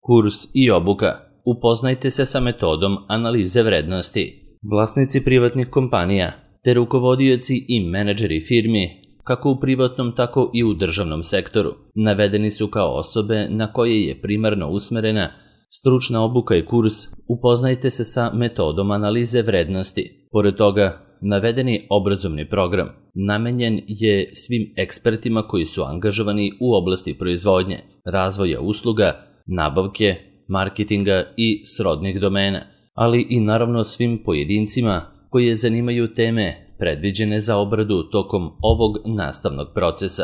Kurs i obuka. Upoznajte se sa metodom analize vrednosti. Vlasnici privatnih kompanija te rukovodioci i menadžeri firmi, kako u privatnom tako i u državnom sektoru, navedeni su kao osobe na koje je primarno usmerena stručna obuka i kurs. Upoznajte se sa metodom analize vrednosti. Pored toga, navedeni obrazovni program namenjen je svim ekspertima koji su angažovani u oblasti proizvodnje, razvoja usluga, nabavke, marketinga i srodnih domena, ali i naravno svim pojedincima koje zanimaju teme predviđene za obradu tokom ovog nastavnog procesa.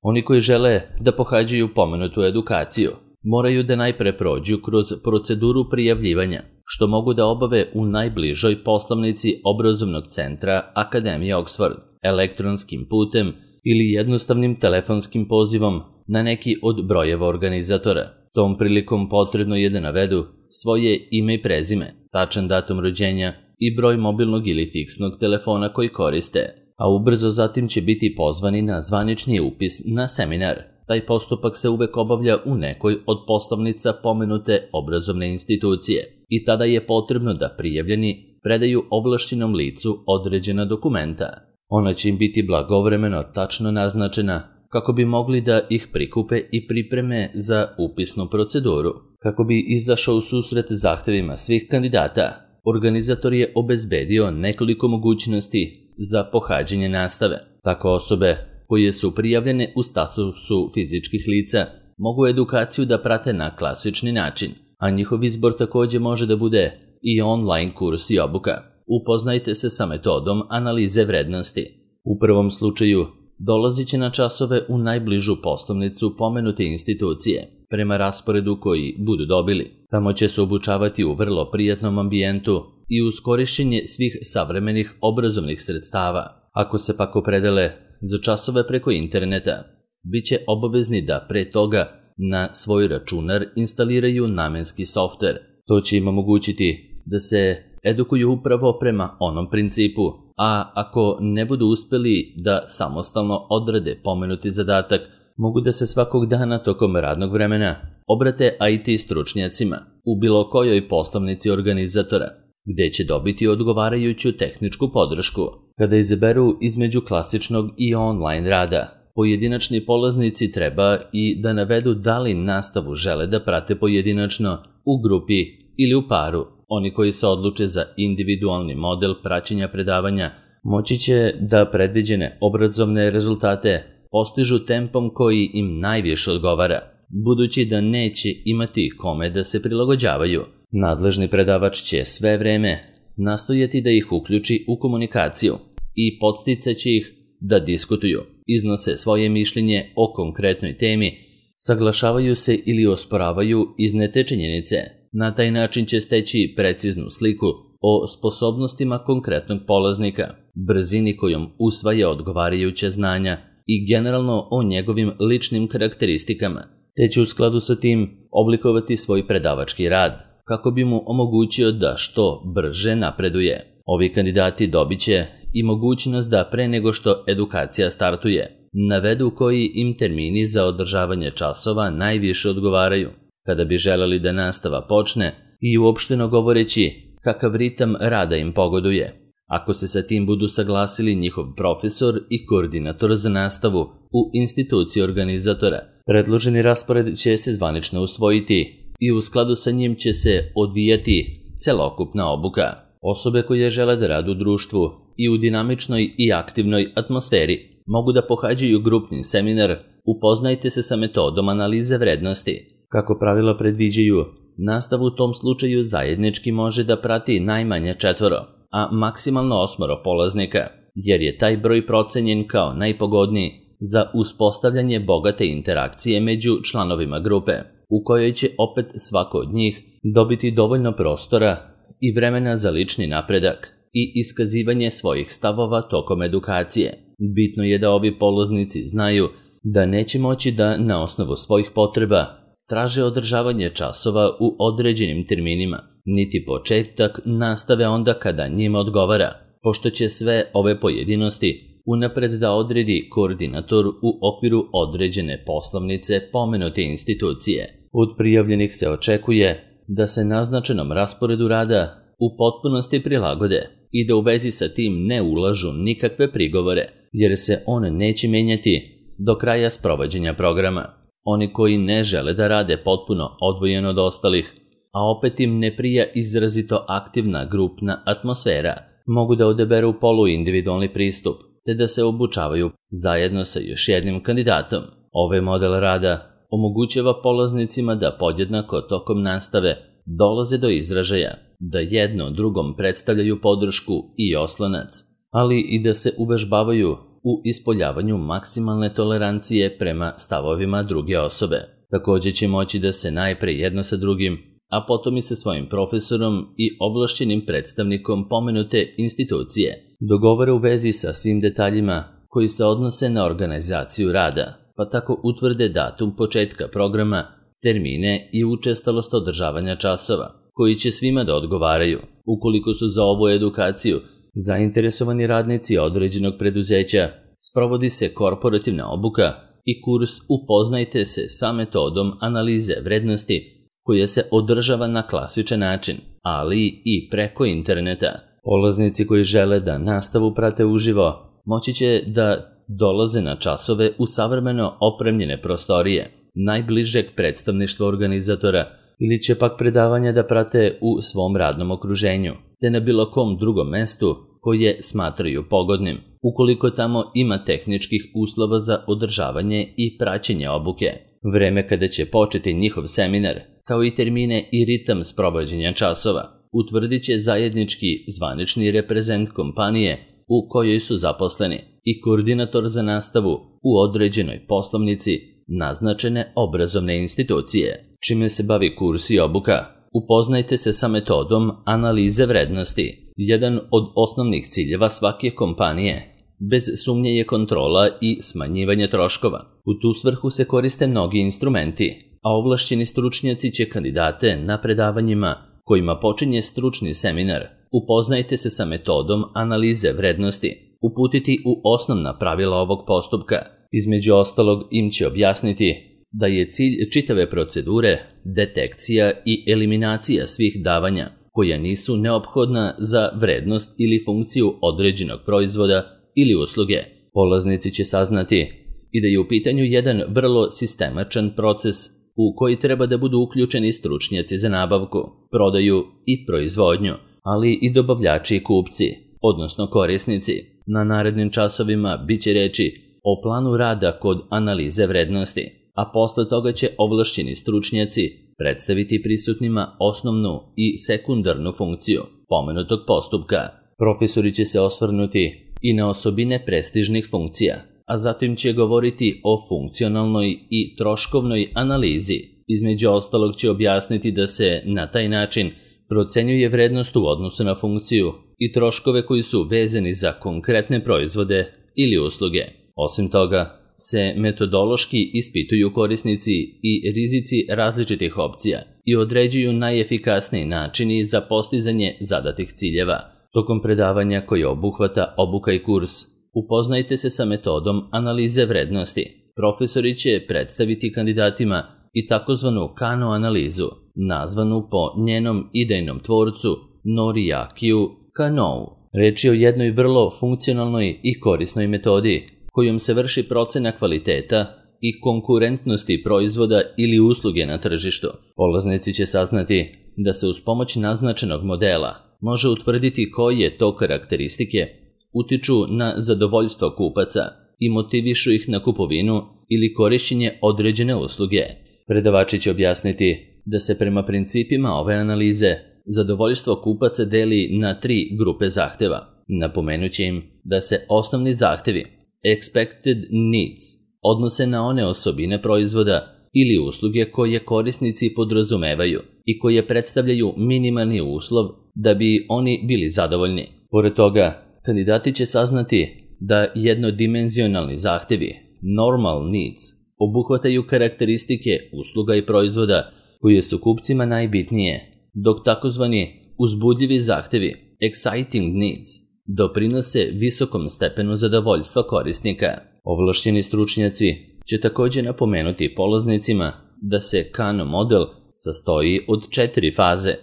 Oni koji žele da pohađaju pomenutu edukaciju moraju da najpre prođu kroz proceduru prijavljivanja, što mogu da obave u najbližoj poslovnici obrazovnog centra Akademije Oxford, elektronskim putem ili jednostavnim telefonskim pozivom na neki od brojeva organizatora. Tom prilikom potrebno je da navedu svoje ime i prezime, tačan datum rođenja i broj mobilnog ili fiksnog telefona koji koriste, a ubrzo zatim će biti pozvani na zvanični upis na seminar. Taj postupak se uvek obavlja u nekoj od poslovnica pomenute obrazovne institucije i tada je potrebno da prijavljeni predaju ovlašćenom licu određena dokumenta. Ona će im biti blagovremeno tačno naznačena kako bi mogli da ih prikupe i pripreme za upisnu proceduru. Kako bi izašao u susret zahtevima svih kandidata, organizator je obezbedio nekoliko mogućnosti za pohađanje nastave. Tako osobe koje su prijavljene u statusu fizičkih lica mogu edukaciju da prate na klasični način, a njihov izbor takođe može da bude i online kurs i obuka. Upoznajte se sa metodom analize vrednosti. U prvom slučaju dolazit će na časove u najbližu poslovnicu pomenute institucije, prema rasporedu koji budu dobili. Tamo će se obučavati u vrlo prijatnom ambijentu i uz korišćenje svih savremenih obrazovnih sredstava. Ako se pak opredele za časove preko interneta, bit će obavezni da pre toga na svoj računar instaliraju namenski softver. To će im omogućiti da se edukuju upravo prema onom principu, a ako ne budu uspeli da samostalno odrade pomenuti zadatak, mogu da se svakog dana tokom radnog vremena obrate IT stručnjacima u bilo kojoj poslovnici organizatora, gde će dobiti odgovarajuću tehničku podršku. Kada izaberu između klasičnog i online rada, pojedinačni polaznici treba i da navedu da li nastavu žele da prate pojedinačno, u grupi ili u paru. Oni koji se odluče za individualni model praćenja predavanja moći će da predviđene obrazovne rezultate postižu tempom koji im najviše odgovara, budući da neće imati kome da se prilagođavaju. Nadležni predavač će sve vreme nastojati da ih uključi u komunikaciju i podsticaće ih da diskutuju, iznose svoje mišljenje o konkretnoj temi, saglašavaju se ili osporavaju iznete činjenice. Na taj način će steći preciznu sliku o sposobnostima konkretnog polaznika, brzini kojom usvaja odgovarajuća znanja i generalno o njegovim ličnim karakteristikama, te će u skladu sa tim oblikovati svoj predavački rad, kako bi mu omogućio da što brže napreduje. Ovi kandidati dobit će i mogućnost da pre nego što edukacija startuje, navedu koji im termini za održavanje časova najviše odgovaraju, kada bi želeli da nastava počne i uopšteno govoreći kakav ritam rada im pogoduje. Ako se sa tim budu saglasili njihov profesor i koordinator za nastavu u instituciji organizatora, predloženi raspored će se zvanično usvojiti i u skladu sa njim će se odvijati celokupna obuka. Osobe koje žele da rade u društvu i u dinamičnoj i aktivnoj atmosferi mogu da pohađaju grupni seminar Upoznajte se sa metodom analize vrednosti. Kako pravila predviđaju, nastavu u tom slučaju zajednički može da prati najmanje 4, a maksimalno 8 polaznika, jer je taj broj procenjen kao najpogodniji za uspostavljanje bogate interakcije među članovima grupe, u kojoj će opet svako od njih dobiti dovoljno prostora i vremena za lični napredak i iskazivanje svojih stavova tokom edukacije. Bitno je da ovi polaznici znaju da neće moći da na osnovu svojih potreba traže održavanje časova u određenim terminima, niti početak nastave onda kada njima odgovara, pošto će sve ove pojedinosti unapred da odredi koordinator u okviru određene poslovnice pomenute institucije. Od prijavljenih se očekuje da se naznačenom rasporedu rada u potpunosti prilagode i da u vezi sa tim ne ulažu nikakve prigovore, jer se on neće menjati do kraja sprovođenja programa. Oni koji ne žele da rade potpuno odvojeno od ostalih, a opet im ne prija izrazito aktivna grupna atmosfera, mogu da odaberu poluindividualni pristup, te da se obučavaju zajedno sa još jednim kandidatom. Ovaj model rada omogućava polaznicima da podjednako tokom nastave dolaze do izražaja, da jedno drugom predstavljaju podršku i oslonac, ali i da se uvežbavaju u ispoljavanju maksimalne tolerancije prema stavovima druge osobe. Također će moći da se najpre jedno sa drugim, a potom i sa svojim profesorom i ovlašćenim predstavnikom pomenute institucije dogovore u vezi sa svim detaljima koji se odnose na organizaciju rada, pa tako utvrde datum početka programa, termine i učestalost održavanja časova, koji će svima da odgovaraju. Ukoliko su za ovu edukaciju zainteresovani radnici određenog preduzeća, sprovodi se korporativna obuka i kurs Upoznajte se sa metodom analize vrednosti koja se održava na klasičan način, ali i preko interneta. Polaznici koji žele da nastavu prate uživo moći će da dolaze na časove u savremeno opremljene prostorije najbližeg predstavništva organizatora ili će pak predavanja da prate u svom radnom okruženju, te na bilo kom drugom mestu koje smatraju pogodnim, ukoliko tamo ima tehničkih uslova za održavanje i praćenje obuke. Vreme kada će početi njihov seminar, kao i termine i ritam sprovođenja časova, utvrdit će zajednički zvanični reprezent kompanije u kojoj su zaposleni i koordinator za nastavu u određenoj poslovnici naznačene obrazovne institucije. Čime se bavi kurs i obuka? Upoznajte se sa metodom analize vrednosti. Jedan od osnovnih ciljeva svake kompanije bez sumnje je kontrola i smanjivanje troškova. U tu svrhu se koriste mnogi instrumenti, a ovlašćeni stručnjaci će kandidate na predavanjima kojima počinje stručni seminar Upoznajte se sa metodom analize vrednosti uputiti u osnovna pravila ovog postupka. Između ostalog im će objasniti da je cilj čitave procedure detekcija i eliminacija svih davanja koja nisu neophodna za vrednost ili funkciju određenog proizvoda ili usluge. Polaznici će saznati i da je u pitanju jedan vrlo sistemačan proces u koji treba da budu uključeni stručnjaci za nabavku, prodaju i proizvodnju, ali i dobavljači i kupci, odnosno korisnici. Na narednim časovima bit će reči o planu rada kod analize vrednosti, a posle toga će ovlašćeni stručnjaci predstaviti prisutnima osnovnu i sekundarnu funkciju pomenutog postupka. Profesori će se osvrnuti i na osobine prestižnih funkcija, a zatim će govoriti o funkcionalnoj i troškovnoj analizi. Između ostalog će objasniti da se na taj način procenjuje vrednost u odnosu na funkciju i troškove koji su vezani za konkretne proizvode ili usluge. Osim toga, se metodološki ispituju korisnici i rizici različitih opcija i određuju najefikasniji načini za postizanje zadatih ciljeva. Tokom predavanja koje obuhvata obuka i kurs, upoznajte se sa metodom analize vrednosti. Profesori će predstaviti kandidatima i takozvanu Kano analizu, nazvanu po njenom idejnom tvorcu Noriakiju Kanou. Reč je o jednoj vrlo funkcionalnoj i korisnoj metodi kojom se vrši procena kvaliteta i konkurentnosti proizvoda ili usluge na tržištu. Polaznici će saznati da se uz pomoć naznačenog modela može utvrditi koje to karakteristike utiču na zadovoljstvo kupaca i motivišu ih na kupovinu ili korišćenje određene usluge. Predavači će objasniti da se prema principima ove analize zadovoljstvo kupaca deli na 3 grupe zahteva. Napomenući im da se osnovni zahtevi expected needs odnose na one osobine proizvoda ili usluge koje korisnici podrazumevaju i koje predstavljaju minimalni uslov da bi oni bili zadovoljni. Pored toga, kandidati će saznati da jednodimenzionalni zahtevi normal needs obuhvataju karakteristike usluga i proizvoda koje su kupcima najbitnije, dok takozvani uzbudljivi zahtevi exciting needs doprinose visokom stepenu zadovoljstva korisnika. Ovlašćeni stručnjaci će također napomenuti polaznicima da se KAN model sastoji od 4 faze,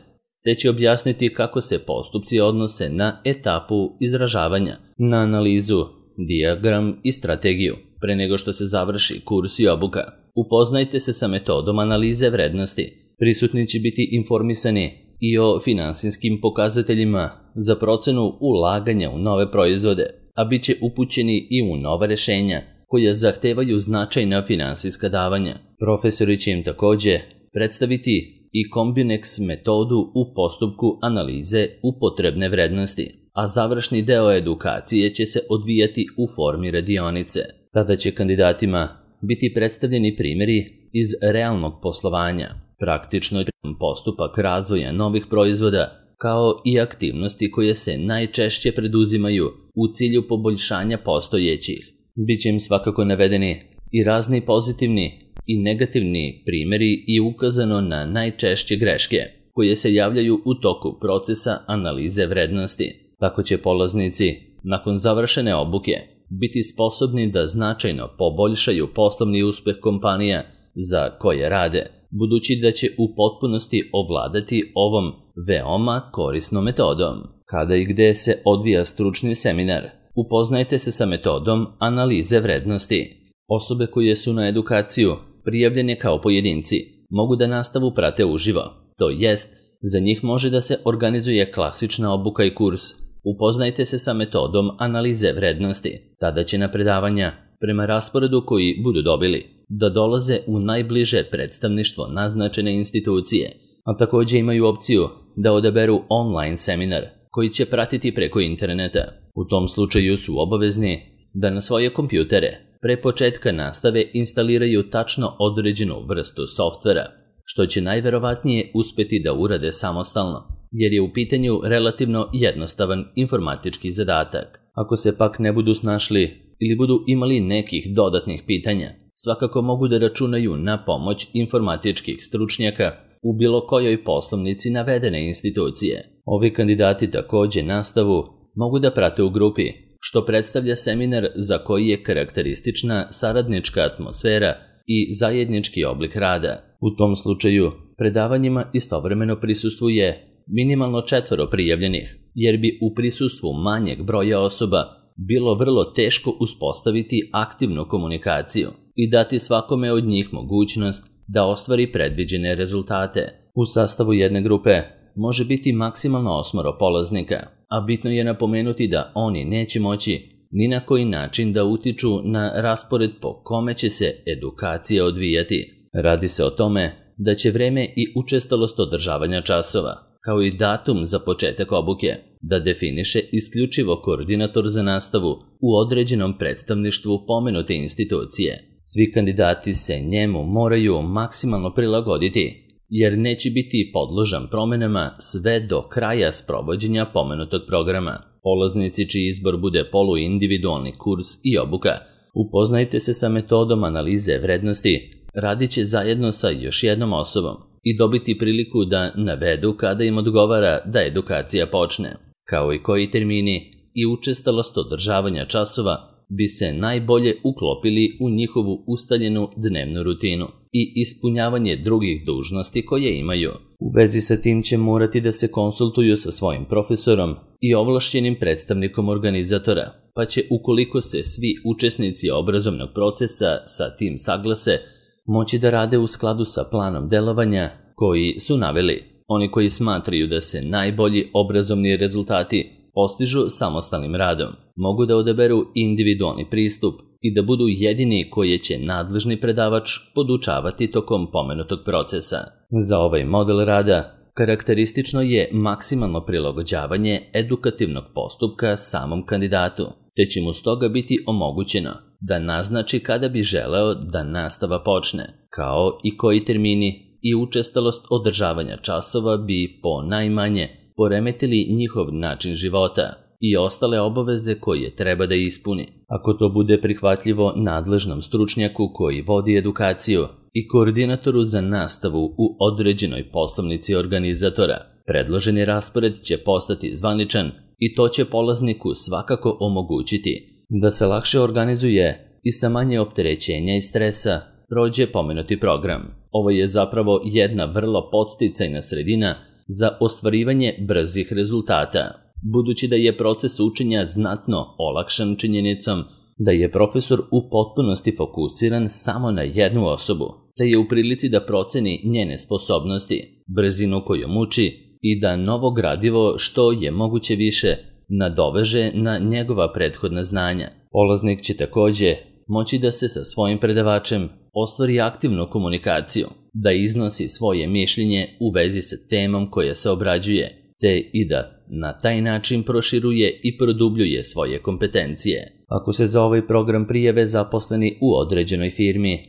te će objasniti kako se postupci odnose na etapu izražavanja, na analizu, dijagram i strategiju. Pre nego što se završi kurs i obuka, upoznajte se sa metodom analize vrednosti. Prisutni će biti informisani i o finansijskim pokazateljima za procenu ulaganja u nove proizvode, a bit će upućeni i u nova rešenja koja zahtevaju značajna finansijska davanja. Profesori će im također predstaviti i Combinex metodu u postupku analize upotrebne vrednosti, a završni deo edukacije će se odvijati u formi radionice. Tada će kandidatima biti predstavljeni primjeri iz realnog poslovanja, praktično postupak razvoja novih proizvoda, kao i aktivnosti koje se najčešće preduzimaju u cilju poboljšanja postojećih. Biće im svakako navedeni i razni pozitivni i negativni primjeri i ukazano na najčešće greške koje se javljaju u toku procesa analize vrednosti. Tako će polaznici, nakon završene obuke, biti sposobni da značajno poboljšaju poslovni uspeh kompanija za koje rade, budući da će u potpunosti ovladati ovom veoma korisnom metodom. Kada i gde se odvija stručni seminar, upoznajte se sa metodom analize vrednosti. Osobe koje su na edukaciju prijavljene kao pojedinci mogu da nastavu prate uživo, to jest, za njih može da se organizuje klasična obuka i kurs. Upoznajte se sa metodom analize vrednosti. Tada će na predavanja, prema rasporedu koji budu dobili, da dolaze u najbliže predstavništvo naznačene institucije, a također imaju opciju da odaberu online seminar koji će pratiti preko interneta. U tom slučaju su obavezni da na svoje kompjutere pre početka nastave instaliraju tačno određenu vrstu softvera, što će najverovatnije uspeti da urade samostalno, jer je u pitanju relativno jednostavan informatički zadatak. Ako se pak ne budu snašli ili budu imali nekih dodatnih pitanja, svakako mogu da računaju na pomoć informatičkih stručnjaka u bilo kojoj poslovnici navedene institucije. Ovi kandidati također nastavu mogu da prate u grupi, što predstavlja seminar za koji je karakteristična saradnička atmosfera i zajednički oblik rada. U tom slučaju, predavanjima istovremeno prisustvuje minimalno 4 prijavljenih, jer bi u prisustvu manjeg broja osoba bilo vrlo teško uspostaviti aktivnu komunikaciju i dati svakome od njih mogućnost da ostvari predviđene rezultate. U sastavu jedne grupe može biti maksimalno 8 polaznika, a bitno je napomenuti da oni neće moći ni na koji način da utiču na raspored po kome će se edukacija odvijati. Radi se o tome da će vreme i učestalost održavanja časova, kao i datum za početak obuke, da definiše isključivo koordinator za nastavu u određenom predstavništvu pomenute institucije. Svi kandidati se njemu moraju maksimalno prilagoditi, jer neće biti podložan promenama sve do kraja sprovođenja pomenutog programa. Polaznici čiji izbor bude poluindividualni kurs i obuka, upoznajte se sa metodom analize vrednosti, radit će zajedno sa još jednom osobom i dobiti priliku da navedu kada im odgovara da edukacija počne, kao i koji termini i učestalost održavanja časova bi se najbolje uklopili u njihovu ustaljenu dnevnu rutinu i ispunjavanje drugih dužnosti koje imaju. U vezi sa tim će morati da se konsultuju sa svojim profesorom i ovlašćenim predstavnikom organizatora, pa će, ukoliko se svi učesnici obrazovnog procesa sa tim saglase, moći da rade u skladu sa planom delovanja koji su naveli. Oni koji smatraju da se najbolji obrazovni rezultati postižu samostalnim radom, mogu da odaberu individualni pristup i da budu jedini koje će nadležni predavač podučavati tokom pomenutog procesa. Za ovaj model rada karakteristično je maksimalno prilagođavanje edukativnog postupka samom kandidatu, te će mu stoga biti omogućeno da naznači kada bi želeo da nastava počne, kao i koji termini i učestalost održavanja časova bi po najmanje poremetili njihov način života i ostale obaveze koje treba da ispuni. Ako to bude prihvatljivo nadležnom stručnjaku koji vodi edukaciju i koordinatoru za nastavu u određenoj poslovnici organizatora, predloženi raspored će postati zvaničan i to će polazniku svakako omogućiti da se lakše organizuje i sa manje opterećenja i stresa prođe pomenuti program. Ovo je zapravo jedna vrlo podsticajna sredina za ostvarivanje brzih rezultata, budući da je proces učenja znatno olakšan činjenicom da je profesor u potpunosti fokusiran samo na jednu osobu, te je u prilici da proceni njene sposobnosti, brzinu kojom uči i da novo gradivo što je moguće više nadoveže na njegova prethodna znanja. Polaznik će takođe moći da se sa svojim predavačem ostvari aktivnu komunikaciju, da iznosi svoje mišljenje u vezi sa temom koja se obrađuje, te i da na taj način proširuje i produbljuje svoje kompetencije. Ako se za ovaj program prijave zaposleni u određenoj firmi,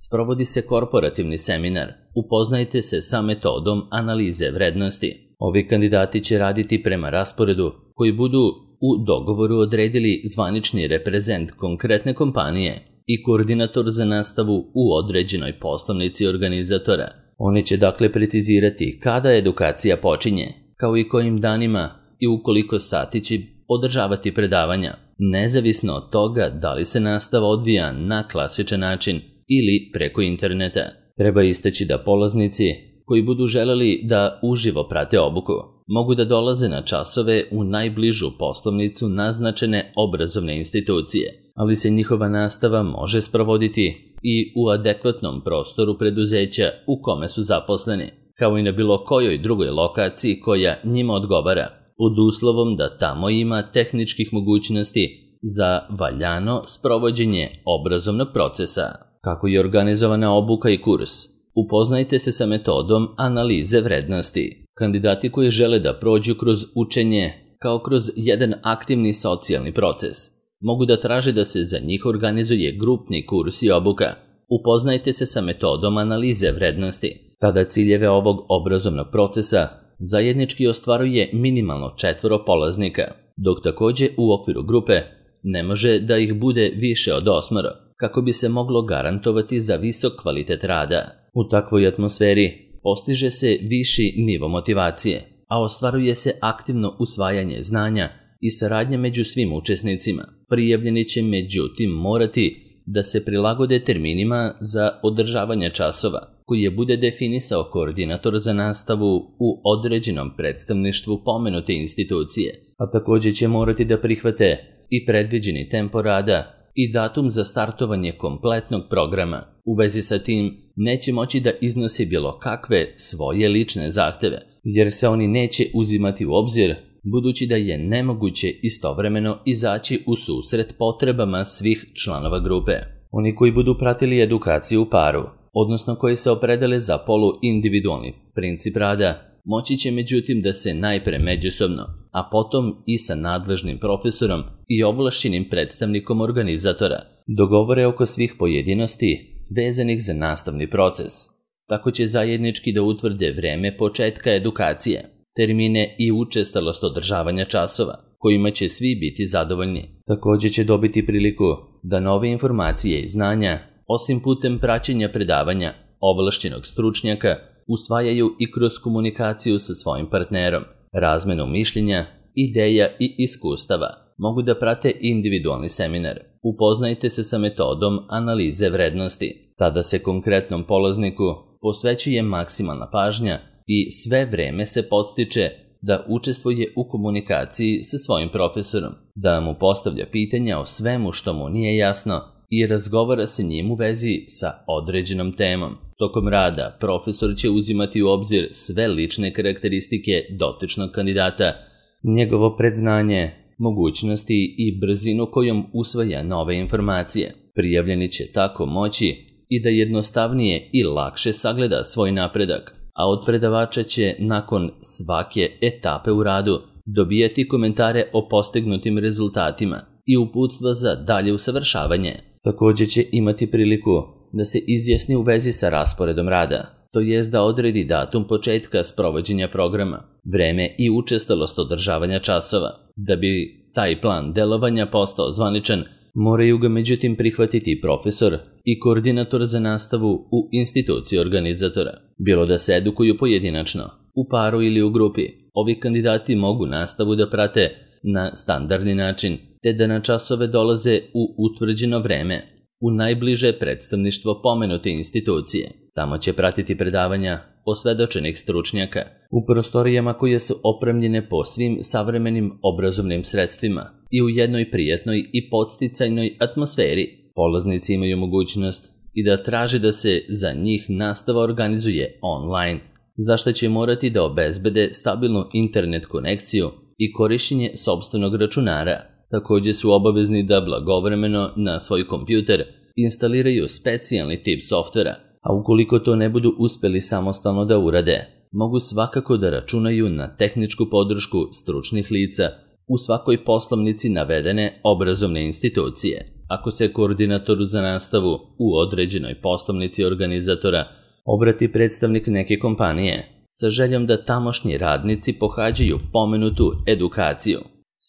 sprovodi se korporativni seminar. Upoznajte se sa metodom analize vrednosti. Ovi kandidati će raditi prema rasporedu koji budu u dogovoru odredili zvanični reprezent konkretne kompanije i koordinator za nastavu u određenoj poslovnici organizatora. Oni će dakle precizirati kada edukacija počinje, kao i kojim danima i u koliko sati će održavati predavanja, nezavisno od toga da li se nastava odvija na klasičan način ili preko interneta. Treba istaći da polaznici koji budu želeli da uživo prate obuku mogu da dolaze na časove u najbližu poslovnicu naznačene obrazovne institucije, ali se njihova nastava može sprovoditi i u adekvatnom prostoru preduzeća u kome su zaposleni, kao i na bilo kojoj drugoj lokaciji koja njima odgovara, pod uslovom da tamo ima tehničkih mogućnosti za valjano sprovođenje obrazovnog procesa. Kako je organizovana obuka i kurs? Upoznajte se sa metodom analize vrednosti. Kandidati koji žele da prođu kroz učenje kao kroz jedan aktivni socijalni proces mogu da traže da se za njih organizuje grupni kurs i obuka. Upoznajte se sa metodom analize vrednosti. Tada ciljeve ovog obrazovnog procesa zajednički ostvaruje minimalno 4 polaznika, dok takođe u okviru grupe ne može da ih bude više od 8, kako bi se moglo garantovati za visok kvalitet rada. U takvoj atmosferi postiže se viši nivo motivacije, a ostvaruje se aktivno usvajanje znanja i saradnja među svim učesnicima. Prijavljeni će međutim morati da se prilagode terminima za održavanje časova, koji je bude definisao koordinator za nastavu u određenom predstavništvu pomenute institucije, a takođe će morati da prihvate i predviđeni tempo rada i datum za startovanje kompletnog programa. U vezi sa tim neće moći da iznosi bilo kakve svoje lične zahteve, jer se oni neće uzimati u obzir, budući da je nemoguće istovremeno izaći u susret potrebama svih članova grupe. Oni koji budu pratili edukaciju u paru, odnosno koji se opredele za poluindividualni princip rada, moći će međutim da se najpre međusobno, a potom i sa nadležnim profesorom i ovlašćenim predstavnikom organizatora dogovore oko svih pojedinosti vezanih za nastavni proces. Tako će zajednički da utvrde vreme početka edukacije, termine i učestalost održavanja časova, kojima će svi biti zadovoljni. Takođe će dobiti priliku da nove informacije i znanja, osim putem praćenja predavanja ovlašćenog stručnjaka, usvajaju i kroz komunikaciju sa svojim partnerom, razmenu mišljenja, ideja i iskustava. Mogu da prate individualni seminar. Upoznajte se sa metodom analize vrednosti. Tada se konkretnom polazniku posvećuje maksimalna pažnja i sve vreme se podstiče da učestvuje u komunikaciji sa svojim profesorom, da mu postavlja pitanja o svemu što mu nije jasno i razgovara sa njim u vezi sa određenom temom. Tokom rada profesor će uzimati u obzir sve lične karakteristike dotičnog kandidata, njegovo predznanje, mogućnosti i brzinu kojom usvaja nove informacije. Prijavljeni će tako moći i da jednostavnije i lakše sagleda svoj napredak, a od predavača će nakon svake etape u radu dobijati komentare o postignutim rezultatima i uputstva za dalje usavršavanje. Takođe će imati priliku da se izjasni u vezi sa rasporedom rada, to jest da odredi datum početka sprovođenja programa, vreme i učestalost održavanja časova. Da bi taj plan delovanja postao zvaničan, moraju ga međutim prihvatiti profesor i koordinator za nastavu u instituciji organizatora. Bilo da se edukuju pojedinačno, u paru ili u grupi, ovi kandidati mogu nastavu da prate na standardni način, te da na časove dolaze u utvrđeno vreme, u najbliže predstavništvo pomenute institucije. Tamo će pratiti predavanja osvedočenih stručnjaka u prostorijama koje su opremljene po svim savremenim obrazovnim sredstvima i u jednoj prijatnoj i podsticajnoj atmosferi. Polaznici imaju mogućnost i da traže da se za njih nastava organizuje online, za što će morati da obezbede stabilnu internet konekciju i korišćenje sopstvenog računara. Također su obavezni da blagovremeno na svoj kompjuter instaliraju specijalni tip softvera, a ukoliko to ne budu uspeli samostalno da urade, mogu svakako da računaju na tehničku podršku stručnih lica u svakoj poslovnici navedene obrazovne institucije. Ako se koordinatoru za nastavu u određenoj poslovnici organizatora obrati predstavnik neke kompanije sa željom da tamošnji radnici pohađaju pomenutu edukaciju,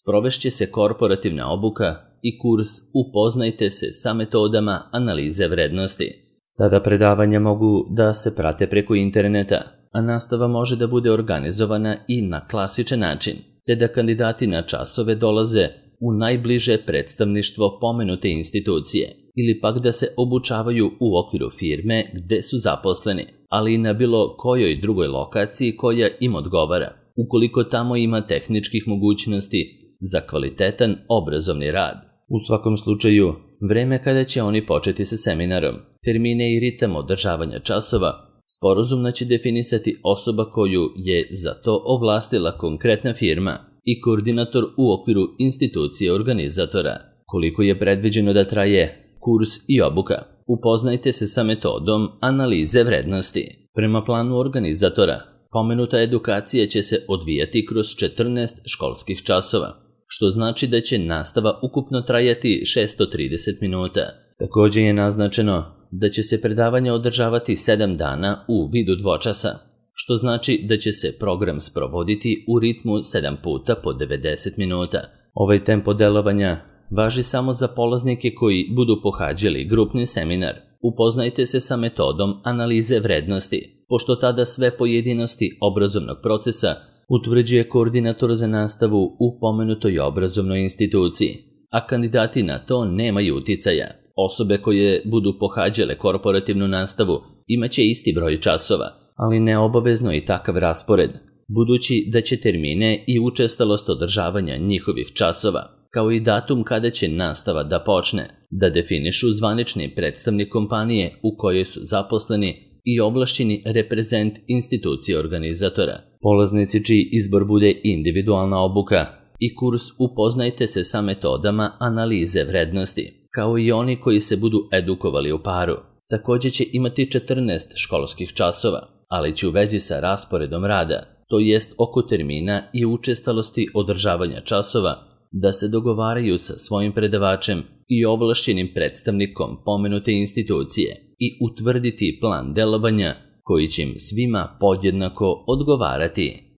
sprovešće se korporativna obuka i kurs Upoznajte se sa metodama analize vrednosti. Tada predavanja mogu da se prate preko interneta, a nastava može da bude organizovana i na klasičan način, te da kandidati na časove dolaze u najbliže predstavništvo pomenute institucije ili pak da se obučavaju u okviru firme gde su zaposleni, ali i na bilo kojoj drugoj lokaciji koja im odgovara, ukoliko tamo ima tehničkih mogućnosti za kvalitetan obrazovni rad. U svakom slučaju, vreme kada će oni početi sa seminarom, termine i ritam održavanja časova, sporazumno će definisati osoba koju je za to ovlastila konkretna firma i koordinator u okviru institucije organizatora. Koliko je predviđeno da traje kurs i obuka? Upoznajte se sa metodom analize vrednosti. Prema planu organizatora, pomenuta edukacija će se odvijati kroz 14 školskih časova, što znači da će nastava ukupno trajati 630 minuta. Također je naznačeno da će se predavanja održavati 7 dana u vidu dvočasa, što znači da će se program sprovoditi u ritmu 7 puta po 90 minuta. Ovaj tempo delovanja važi samo za polaznike koji budu pohađali grupni seminar. Upoznajte se sa metodom analize vrednosti, pošto tada sve pojedinosti obrazovnog procesa utvrđuje koordinator za nastavu u pomenutoj obrazovnoj instituciji, a kandidati na to nemaju uticaja. Osobe koje budu pohađale korporativnu nastavu imaće isti broj časova, ali neobavezno i takav raspored, budući da će termine i učestalost održavanja njihovih časova, kao i datum kada će nastava da počne, da definišu zvanični predstavnik kompanije u kojoj su zaposleni i ovlašćeni reprezent institucije organizatora. Polaznici čiji izbor bude individualna obuka i kurs Upoznajte se sa metodama analize vrednosti, kao i oni koji se budu edukovali u paru, također će imati 14 školskih časova, ali će u vezi sa rasporedom rada, to jest oko termina i učestalosti održavanja časova, da se dogovaraju sa svojim predavačem i ovlašćenim predstavnikom pomenute institucije i utvrditi plan delovanja koji će im svima podjednako odgovarati.